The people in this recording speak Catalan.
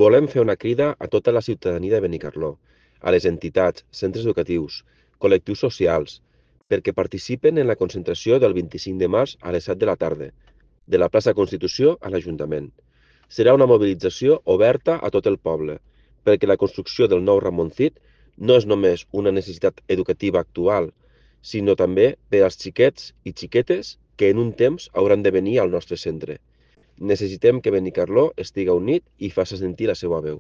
Volem fer una crida a tota la ciutadania de Benicarló, a les entitats, centres educatius, col·lectius socials, perquè participen en la concentració del 25 de març a les 7 de la tarda, de la plaça Constitució a l'Ajuntament. Serà una mobilització oberta a tot el poble, perquè la construcció del nou Ramoncit no és només una necessitat educativa actual, sinó també per als xiquets i xiquetes que en un temps hauran de venir al nostre centre. Necessitem que Benicarló estiga unit i faci sentir la seva veu.